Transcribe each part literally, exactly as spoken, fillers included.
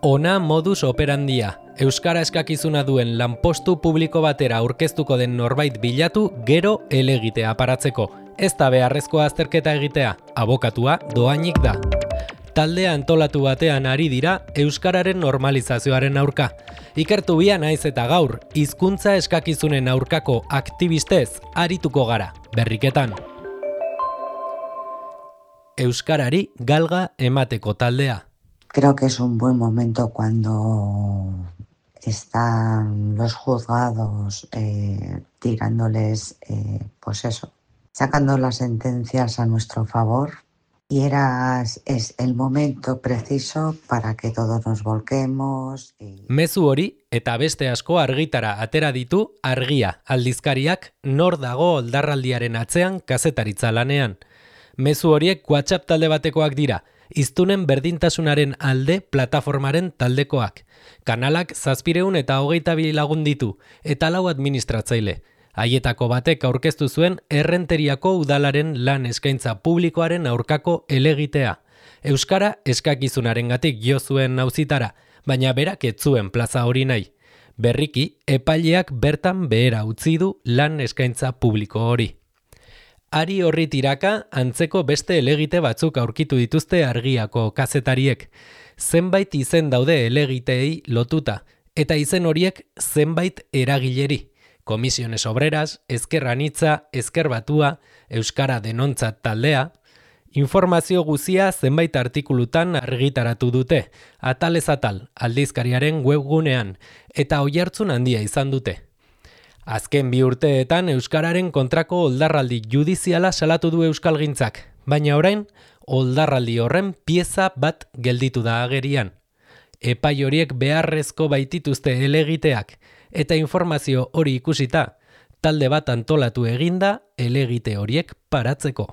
Ona modus operandia. Euskara eskakizuna duen lanpostu publiko batera aurkeztuko den norbait bilatu gero helegitea paratzeko. Ez da beharrezkoa azterketa egitea, abokatua dohainik da. Talde antolatu batean ari dira euskararen normalizazioaren aurka. Ikertu bia naiz eta gaur, hizkuntza eskakizunen aurkako aktibistez arituko gara, berriketan. Euskarari galga emateko taldea. Creo que es un buen momento cuando están los juzgados eh, tirándoles, eh, pues eso, sacando las sentencias a nuestro favor. Y era, es el momento preciso para que todos nos volquemos. Y... Mezu hori eta beste asko argitara atera ditu Argia aldizkariak nor dago oldarraldiaren atzean kazetaritza lanean. Mezu horiek WhatsApp talde batekoak dira, hiztunen berdintasunaren alde plataformaren taldekoak. Kanalak zazpireun eta hogeita bi lagun ditu, eta lau administratzaile. Haietako batek aurkeztu zuen Errenteriako udalaren lan eskaintza publikoaren aurkako helegitea. Euskara eskakizunarengatik jo zuen auzitara, baina berak ez zuen plaza hori nahi. Berriki, epaileak bertan behera utzi du lan eskaintza publiko hori. Ari horri tiraka, antzeko beste helegite batzuk aurkitu dituzte Argiako kazetariek. Zenbait izen daude helegiteei lotuta, eta izen horiek zenbait eragileri. Komisiones Obreras, Ezker Anitza, Ezker Batua, Euskara Denontzat taldea. Informazio guzia zenbait artikulutan argitaratu dute, atalez atal, aldizkariaren webgunean, eta oihartzun handia izan dute. Azken bi urteetan Euskararen kontrako oldarraldi judiziala salatu du Euskalgintzak, baina orain oldarraldi horren pieza bat gelditu da agerian. Epai horiek beharrezko baitituzte helegiteak, eta informazio hori ikusita, talde bat antolatu eginda helegite horiek paratzeko.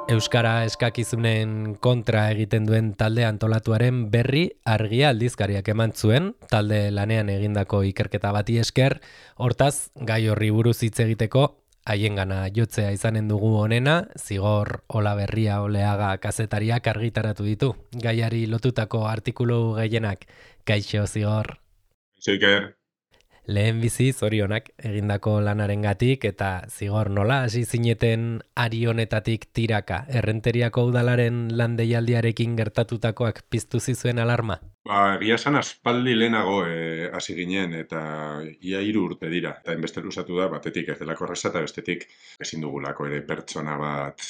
Euskara eskakizunen kontra egiten duen talde antolatuaren berri Argia aldizkariak eman zuen, talde lanean egindako ikerketa bati esker, hortaz, gai horri buruz hitz egiteko, haiengana jotzea izanen dugu honena, Zigor Olaberria Oleaga kazetariak argitaratu ditu. Gaiari lotutako artikulu gehienak. Kaixo, Zigor. Zeiker. Lehen bizi zorionak egindako lanarengatik eta Zigor nola hasi zineten ari honetatik tiraka. Errenteriako udalaren lan deialdiarekin gertatutakoak piztu zizuen alarma? Ba, egia esan aspaldi lehenago eh, hasi ginen eta ia hiru urte dira. Eta enbeste luzatu da, batetik ez delako erraza eta bestetik ezin dugulako ere pertsona bat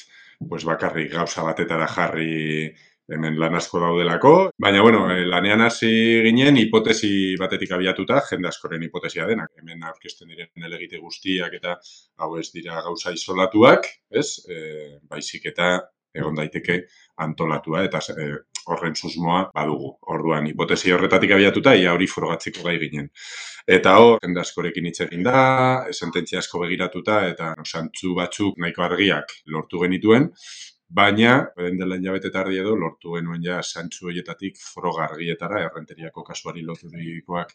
pues bakarrik gauza batetara jarri hemen lan asko daudelako. Baina, bueno, lanean hasi ginen hipotesi batetik abiatuta, jende askoren hipotesia denak. Hemen aurkezten diren helegite guztiak eta hau ez dira gauza isolatuak, ez? E, baizik eta egon daiteke antolatua eta e, horren susmoa badugu. Orduan, hipotesi horretatik abiatuta, ia hori frogatzeko gai ginen. Eta hor, jende askorekin hitz egin da, sententzia asko begiratuta eta no, zantzu batzuk nahiko argiak lortu genituen, baina, beren dela hilabete eta erdi edo, lortu genuen ja zantzu horietatik froga argietara, Errenteriako kasuari loturikoak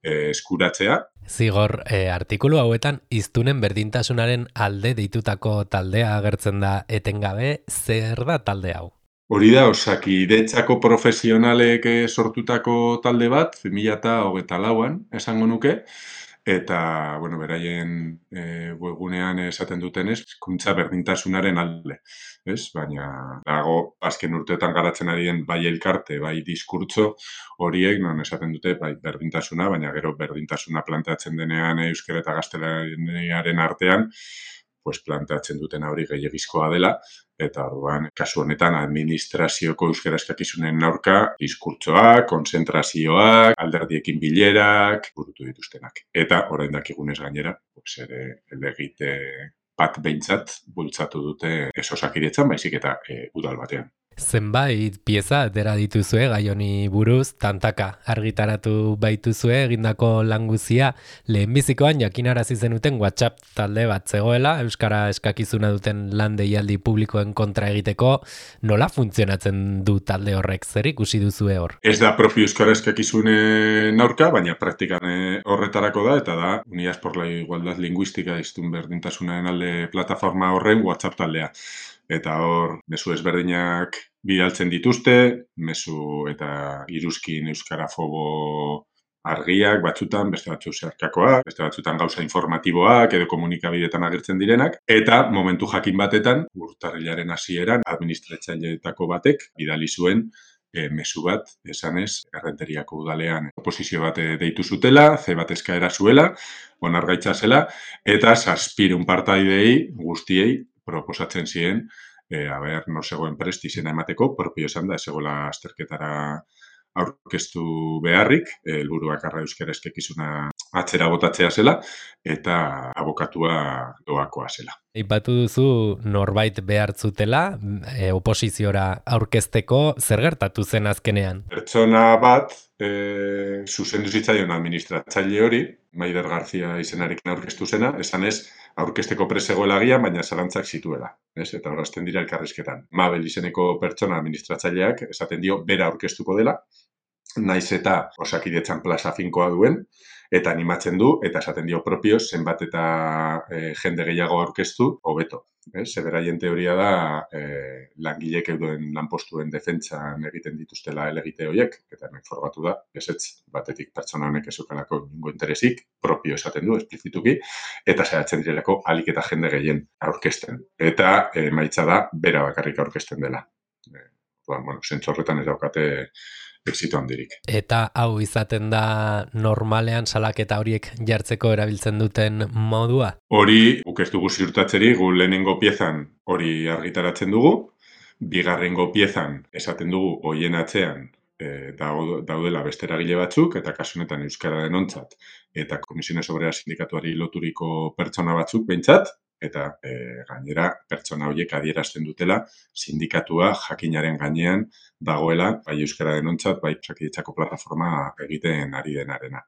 eh, eskuratzea. Zigor, eh, artikulu hauetan hiztunen berdintasunaren alde deitutako taldea agertzen da etengabe, zer da talde hau? Hori da, Osakidetzako profesionalek sortutako talde bat, bi mila hogeita lauan, esango nuke, eta, bueno, beraien e, webgunean esaten dutenez, hizkuntza berdintasunaren alde, ez? Baina, dago, azken urteetan garatzen ari den bai elkarte, bai diskurtso horiek, non esaten dute, bai berdintasuna, baina gero berdintasuna planteatzen denean euskara eta gaztelaniaren artean, pues planteatzen duten hori gehiagizkoa dela, eta orduan, kasu honetan, administrazioko euskara eskakizunen aurka, diskurtsoak, konzentrazioak, alderdiekin bilerak, burutu dituztenak. Eta, orain dakigunez gainera, pues ere, helegite bat behintzat bultzatu dute ez Osakidetzan, baizik eta e, udal batean. Zenbait pieza atera dituzue gai honi buruz, tantaka argitaratu baituzue egindako lan guzia. Lehenbizikoan jakinarazi zenuten WhatsApp talde bat zegoela, euskara eskakizuna duten lan deialdi publikoen kontra egiteko. Nola funtzionatzen du talde horrek? Zer ikusi duzue hor? Ez da propio euskara eskakizunen aurka, baina praktikan eh, horretarako da, eta da Unidas por la Igualdad Lingüística hiztun berdintasunaren alde plataforma horren WhatsApp taldea. Eta hor, mezu ezberdinak bidaltzen dituzte, mezu eta iruzkin euskarafobo argiak batzutan, beste batzu zeharkakoak, beste batzutan gauza informatiboak edo komunikabideetan agertzen direnak, eta momentu jakin batetan, urtarrilaren hasieran, administratzaileetako batek bidali zuen e, mezu bat, esanez, Errenteriako udalean oposizio bat deitu zutela, ze bat eskaera zuela, onargaitza zela, eta zazpirun partaidei guztiei proposatzen ziren, e, haber, no zegoen prest izena emateko, propio esan da, ez zegoela azterketara aurkeztu beharrik, helburuak arra euskara eskekizuna atzera botatzea zela, eta abokatua doakoa zela. Aipatu duzu norbait behar zutela, e, oposiziora aurkezteko, zer gertatu zen azkenean? Pertsona bat, e, zuzendu zitzaion administratzaile hori, Maider García izenarekin aurkeztu zena, esanez, aurkezteko presegoela agian, baina zalantzak zituela. Ez? Eta horazten dira elkarrizketan. Mabel izeneko pertsona administratzaileak esaten dio bera aurkeztuko dela, naiz eta Osakidetzan plaza finkoa duen, eta animatzen du, eta esaten dio propio, zenbat eta e, jende gehiago aurkeztu, hobeto. Ze beraien teoria da, e, langilek euduen lanpostuen defentsan egiten dituztela elegite horiek, eta hemen formatu da, ezetz, batetik pertsona honek ezukalako ningo interesik, propio esaten du, esplizituki, eta zehatzen direlako alik eta jende gehien aurkezten. Eta e, maitza da, bera bakarrik aurkezten dela. E, bueno, zentzu horretan ez daukate exito handirik. Eta hau izaten da normalean salaketa horiek jartzeko erabiltzen duten modua? Hori, guk ez dugu ziurtatzeri, gu lehenengo piezan hori argitaratzen dugu, bigarrengo piezan esaten dugu hoien atzean e, daudela beste eragile batzuk, eta kasu honetan euskara denontzat, eta Komisiones Obreras sindikatuari loturiko pertsona batzuk behintzat, eta e, gainera pertsona horiek adierazten dutela sindikatua jakinaren gainean dagoela, bai euskara denontzat, bai Osakidetzako plataforma egiten ari denarena.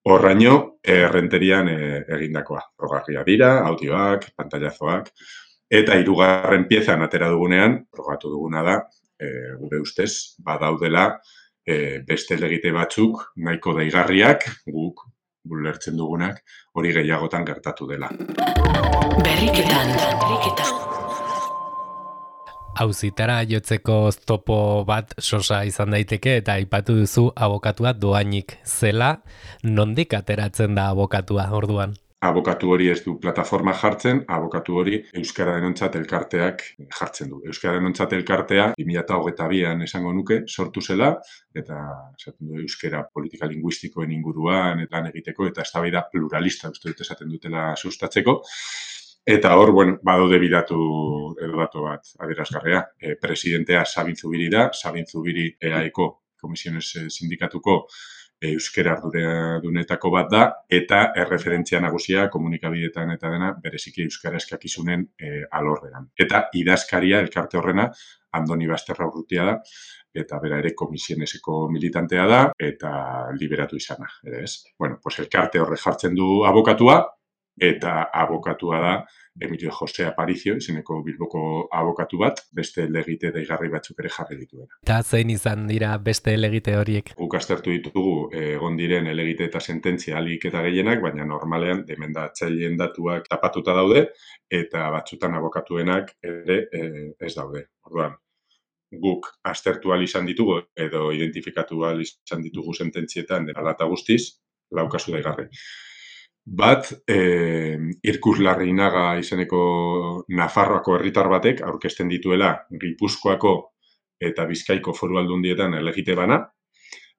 Horraino, errenterian e, egindakoa. Progarria dira, audioak, pantailazoak, eta hirugarren piezan atera dugunean, progatu duguna da, e, gure ustez, badaudela e, beste legite batzuk nahiko deigarriak, guk bulertzen dugunak, hori gehiagotan gertatu dela. Berriketan, berriketan. Auzitara jotzeko oztopo bat sosa izan daiteke eta aipatu duzu abokatua doainik zela, nondik ateratzen da abokatua orduan? Abokatu hori ez du plataforma jartzen, abokatu hori Euskara Denontzat elkarteak jartzen du. Euskara Denontzat elkartea bi mila hogeita bian esango nuke sortu zela, eta esaten du euskara politika linguistikoen inguruan lan egiteko eta eztabaida pluralista uste dut esaten dutela sustatzeko. Eta hor, bueno, badaude bidatu edo datu bat adierazgarria. E, presidentea Sabin Zubiri da, Sabin Zubiri E A Eko Komisiones Sindikatuko euskera ardunetako bat da, eta erreferentzia nagusia komunikabideetan eta dena bereziki euskara eskakizunen e, alorrean. Eta idazkaria elkarte horrena Andoni Basterra Urrutia da, eta bera ere Komisioneseko militantea da, eta liberatu izana, ere ez. Bueno, pues elkarte horre jartzen du abokatua, eta abokatua da Emilio Jose Aparicio, izeneko Bilboko abokatu bat, beste legite deigarri batzuk ere jarri dituena. Eta zein izan dira beste legite horiek? Guk aztertu ditugu egon diren elegite eta sententzia alik eta gehienak, baina normalean demendatzaileen datuak tapatuta daude, eta batzutan abokatuenak ere e, ez daude. Orduan, guk aztertu ahal izan ditugu, edo identifikatu ahal izan ditugu sententzietan dela eta guztiz, laukazu daigarri. Bat, eh, Irkus Larrinaga izeneko Nafarroako herritar batek aurkezten dituela Gipuzkoako eta Bizkaiko foru aldundietan elegite bana,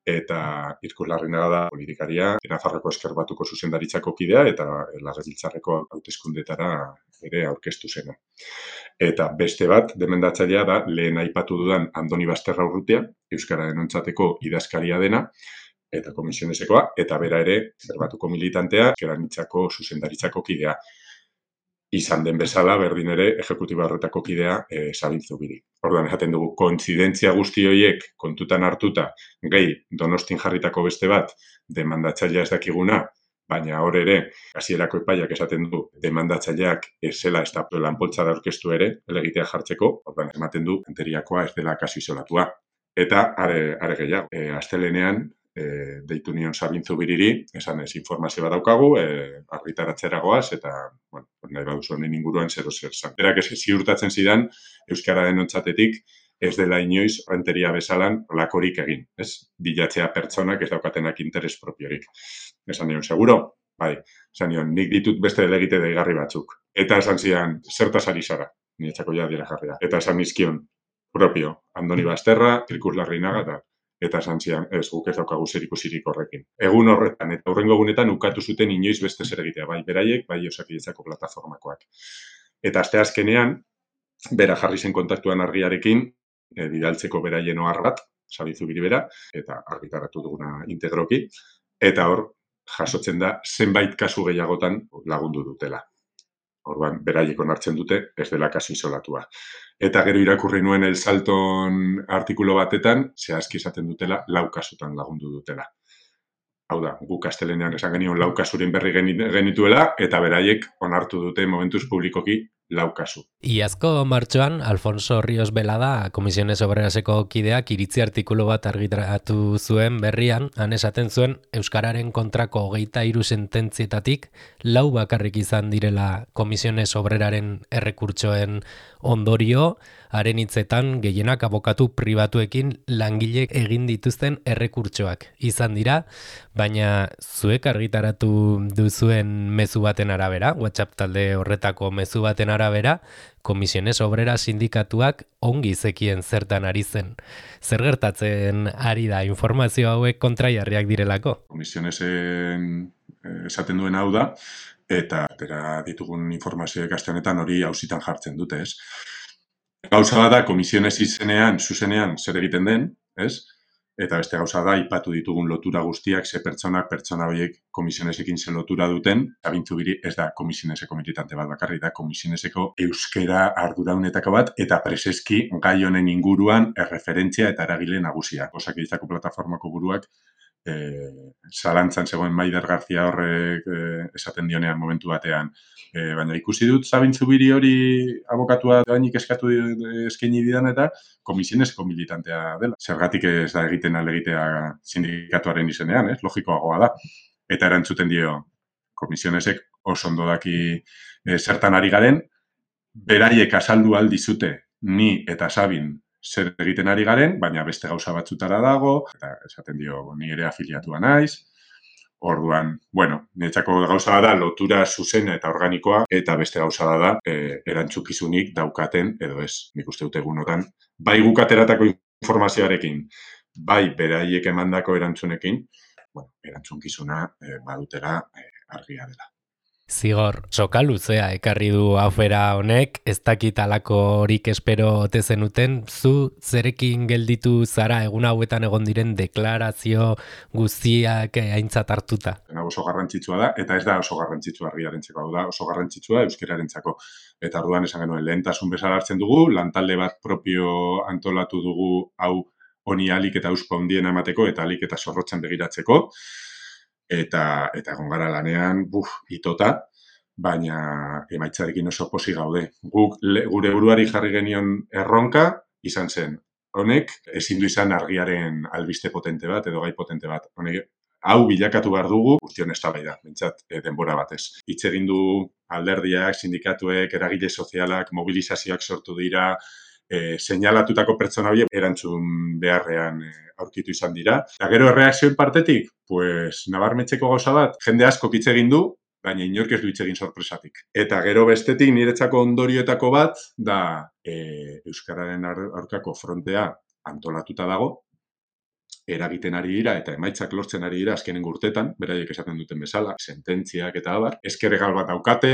eta Irkus Larrinaga da politikaria, Nafarroako Ezker Batuko zuzendaritzako kidea eta Legebiltzarreko hauteskundetara ere aurkeztu zena. Eta beste bat, demendatzailea da, lehen aipatu dudan Andoni Basterra Urrutia, Euskara Denontzateko idazkaria dena, eta Komisionesekoa, eta bera ere, Zerbatuko militantea, Keranitzako zuzendaritzako kidea. izan den bezala, berdin ere, ejekutiba horretako kidea e, Sabin Zubiri. Orduan, esaten dugu, kointzidentzia guzti horiek kontutan hartuta, gehi Donostin jarritako beste bat, demandatzailea ez dakiguna, baina hor ere, hasierako epaiak esaten du, demandatzaileak ez zela ez da lanpoltza da orkestu ere, elegitea jartzeko, orduan, ematen du, anteriakoa ez dela kasu isolatua. Eta, are, are gehiago, e, astelenean, e, deitu nion Sabin Zubiriri, esan ez informazio bat daukagu, e, argitaratzera goaz, eta, bueno, nahi baduzu honen inguruan zero zer zan. Berak ez ziurtatzen zidan, Euskararen ontzatetik, ez dela inoiz renteria bezalan lakorik egin, ez? Bilatzea pertsonak ez daukatenak interes propiorik. Esan nion, seguro? Bai, esan nion, nik ditut beste delegite deigarri batzuk. Eta esan zian, zertaz ari zara, niretzako ja dira jarria. Eta esan nizkion, propio, Andoni Basterra, Krikus Larrinaga, eta eta esan zian, ez, guk ez daukagu zer ikusirik horrekin. Egun horretan, eta hurrengo egunetan ukatu zuten inoiz beste zer egitea, bai beraiek, bai Osakidetzako plataformakoak. Eta aste azkenean, bera jarri zen kontaktuan argiarekin, e, bidaltzeko beraien ohar bat, Sabin Zubiri bera, eta argitaratu duguna integroki, eta hor, jasotzen da, zenbait kasu gehiagotan lagundu dutela. Orduan, beraiek onartzen dute, ez dela kasu isolatua. Eta gero irakurri nuen El Salton artikulo batetan, zehazki esaten dutela, lau kasutan lagundu dutela. Hau da, guk astelenean esan genion lau kasuren berri genituela, eta beraiek onartu dute momentuz publikoki lau kasu. Iazko martxoan, Alfonso Ríos Velada, Komisiones Obreraseko kideak iritzi artikulu bat argitaratu zuen berrian, han esaten zuen Euskararen kontrako hogeita hiru sententzietatik lau bakarrik izan direla Komisiones Obreraren errekurtsoen ondorio, haren hitzetan gehienak abokatu pribatuekin langile egin dituzten errekurtsoak izan dira, baina zuek argitaratu duzuen mezu baten arabera, WhatsApp talde horretako mezu baten arabera, Komisiones Obrera sindikatuak ongi zekien zertan ari zen. Zer gertatzen ari da informazio hauek kontraiarriak direlako? Komisionesen esaten duen hau da, eta atera ditugun informazioek aste honetan hori auzitan jartzen dute, ez? Gauza da, komisiones izenean, zuzenean, zer egiten den, ez? Eta beste gauza da, aipatu ditugun lotura guztiak, ze pertsonak, pertsona horiek komisionesekin ze lotura duten, Sabin Zubiri ez da komisioneseko militante bat bakarri, da komisioneseko euskera arduraunetako bat, eta preseski gai honen inguruan erreferentzia eta eragile nagusia. Osakidetzako plataformako buruak, e, zalantzan zegoen Maider García horrek e, esaten dionean momentu batean, e, baina ikusi dut Sabin Zubiri hori abokatua doainik eskatu eskaini didan eta komisioneseko militantea dela. Zergatik ez da egiten alegitea sindikatuaren izenean, ez? Logikoagoa da. Eta erantzuten dio komisionesek oso ondo daki e, zertan ari garen, beraiek azaldu aldizute ni eta Sabin zer egiten ari garen, baina beste gauza batzutara dago, eta esaten dio ni ere afiliatua naiz. Orduan, bueno, niretzako gauza da lotura zuzena eta organikoa, eta beste gauza da e, erantzukizunik daukaten, edo ez, nik uste dut egunotan, bai guk ateratako informazioarekin, bai beraiek emandako erantzunekin, bueno, erantzunkizuna e, badutela e, argia dela. Zigor, soka luzea ekarri du afera honek, ez dakit alakorik espero ote zenuten, zu zerekin gelditu zara egun hauetan egon diren deklarazio guztiak aintzat hartuta? Oso garrantzitsua da, eta ez da oso garrantzitsua argiarentzako, hau da oso garrantzitsua euskerarentzako. Eta orduan esan genuen lehentasun bezala hartzen dugu, lantalde bat propio antolatu dugu hau honi alik eta auspo handien emateko eta alik eta zorrotzen begiratzeko. Eta, eta egon gara lanean, buf, itota, baina emaitzarekin oso posi gaude. Guk le, gure buruari jarri genion erronka, izan zen, honek ezin du izan argiaren albiste potente bat, edo gai potente bat. Honek, hau bilakatu behar dugu, guztion eztabaida, bentsat e, denbora batez. Hitz egin du alderdiak, sindikatuek, eragile sozialak, mobilizazioak sortu dira, e, seinalatutako pertsona horiek erantzun beharrean e, aurkitu izan dira. Eta gero erreakzioen partetik, pues, nabarmetzeko gauza bat, jende asko hitz egin du, baina inork ez du hitz egin sorpresatik. Eta gero bestetik niretzako ondorioetako bat, da e, Euskararen aurkako frontea antolatuta dago, eragiten ari dira eta emaitzak lortzen ari dira azkenen urtetan, beraiek esaten duten bezala, sententziak eta abar. Ezker egal bat daukate,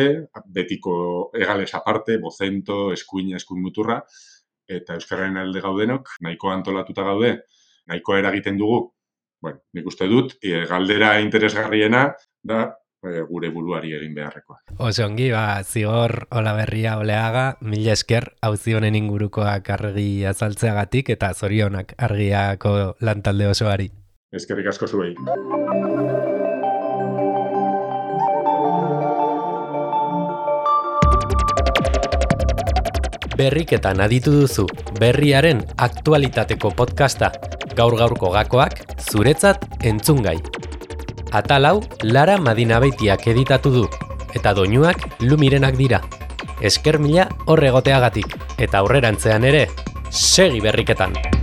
betiko egales aparte, bozento, eskuina, eskuin muturra, eta Euskararen alde gaudenok, nahiko antolatuta gaude, nahiko eragiten dugu. Bueno, nik uste dut, e, galdera interesgarriena da, e, gure buruari egin beharrekoa. Oso ongi, ba, Zigor Olaberria Oleaga, mila esker auzi honen ingurukoak argi azaltzeagatik eta zorionak argiako lantalde osoari. Eskerrik asko zuei. Berriketan aditu duzu, berriaren aktualitateko podcasta, gaur-gaurko gakoak, zuretzat entzungai. Atal hau, Lara Madinabeitiak editatu du, eta doinuak Lumirenak dira. Esker mila horregoteagatik, eta aurrerantzean ere, segi berriketan!